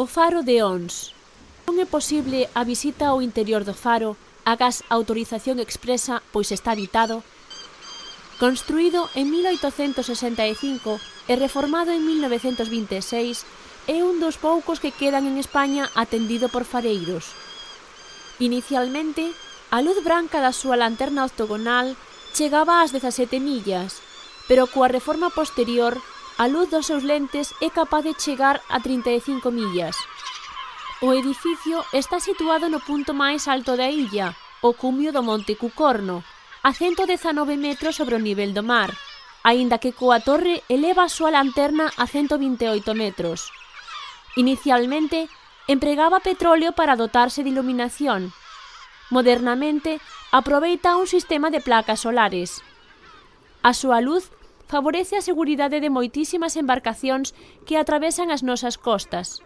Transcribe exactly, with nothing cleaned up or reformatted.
O faro de Ons. Non é posible a visita ao interior do faro, agás autorización expresa, pois está habitado. Construído en mil oitocentos sesenta e cinco e reformado en mil novecentos vinte e seis, é un dos poucos que quedan en España atendido por fareiros. Inicialmente, a luz branca da súa lanterna octogonal chegaba ás dezasete millas, pero coa reforma posterior, a luz dos seus lentes é capaz de chegar a trinta e cinco millas. O edificio está situado no punto máis alto da illa, o cumio do Monte Cucorno, a cento dezanove metros sobre o nivel do mar, aínda que coa torre eleva a súa lanterna a cento vinte e oito metros. Inicialmente, empregaba petróleo para dotarse de iluminación. Modernamente, aproveita un sistema de placas solares. A súa luz favorece a seguridade de moitísimas embarcacións que atravesan as nosas costas.